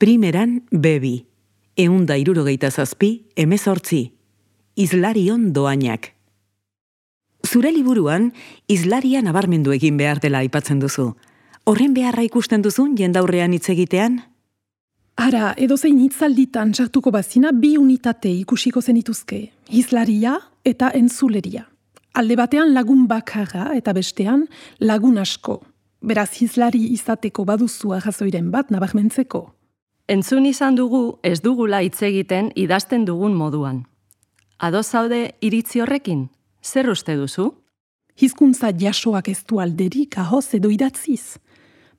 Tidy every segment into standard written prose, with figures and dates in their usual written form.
Primeran bebi, 167, Islarion doainak. Zure liburuan, Islaria nabarmendu egin behar dela aipatzen duzu. Horren beharra ikusten duzun jendaurrean hitz egitean? Ara, edozein hitzalditan sartuko bazina 2 unitate ikusiko zenituzke, hizlaria eta entzuleria. Alde batean lagun bakarra eta bestean lagun asko. Beraz hizlari izateko baduzu arrazoiren bat nabarmentzeko. Entzun izan dugu ez dugula hitz egiten idazten dugun moduan. Ados zaude iritzi horrekin? Zer uste duzu? Hizkuntza jasoak ez du alderik ahoz edo idatziz.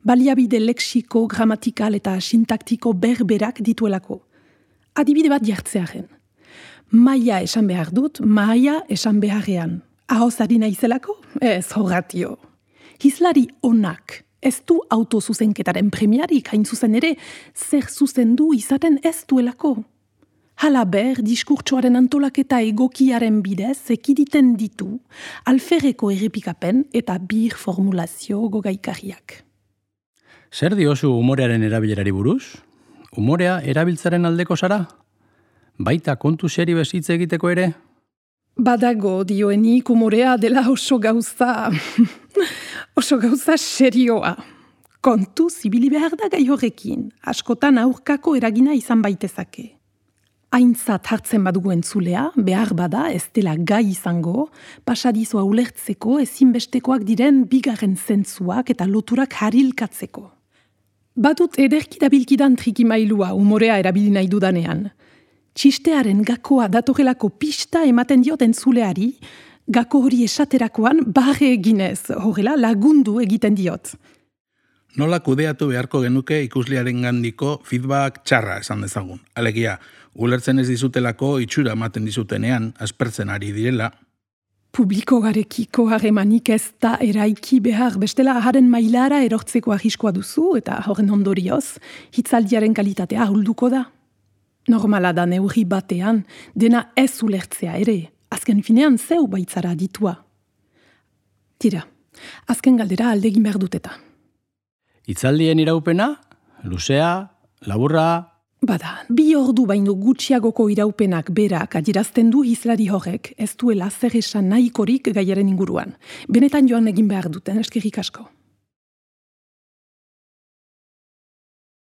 Baliabide lexiko, gramatikal eta sintaktiko berberak dituelako. Adibide bat jartzearen. Maia esan behar dut, maia esan beharrean. Ahoz ari naizelako? Ez horratio. Hizlari onak ez du autozuzenketaren premiarik hain zuzen ere, zer zuzendu izaten ez duelako. Halaber, diskurtsoaren antolaketa egokiaren bidez ekiditen ditu alferreko errepikapen eta bir formulazio gogaikarriak. Zer diozu umorearen erabilerari buruz? Umorea erabiltzaren aldeko zara? Baita kontu seri bezitze egiteko ere? Badago dioenik umorea dela oso gauza serioa. Kontu zibili behar da gai horrekin, askotan aurkako eragina izan baitezake. Aintzat hartzen badugu entzulea, behar bada ez dela gai izango, pasadizoa ulertzeko ezinbestekoak diren bigarren zentzuak eta loturak harilkatzeko. Badut ederki dabilkidan trikimailua umorea erabili nahi dudanean. Txistearen gakoa datorelako pista ematen diot entzuleari, gako hori esaterakoan barre eginez, horrela lagundu egiten diot. Nola kudeatu beharko genuke ikuslearen gandiko feedback txarra esan dezagun. Alegia, ulertzen ez dizutelako itxura ematen dizutenean, aspertzen ari direla. Publiko garekiko harremanik ez da eraiki behar, bestela haren mailara erortzeko arriskoa duzu eta horren ondorioz, hitzaldiaren kalitatea ahulduko da. Normala da neurri batean, dena ez ulertzea ere, azken finean zeu baitzara ditua. Tira, azken galdera aldegin behar dut eta. Hitzaldien iraupena, luzea, laburra... Bada, 2 ordu baino gutxiagoko iraupenak berak adierazten du hizlari horrek ez duela zer esan nahikorik gaiaren inguruan. Benetan joan egin behar duten, eskerrik asko.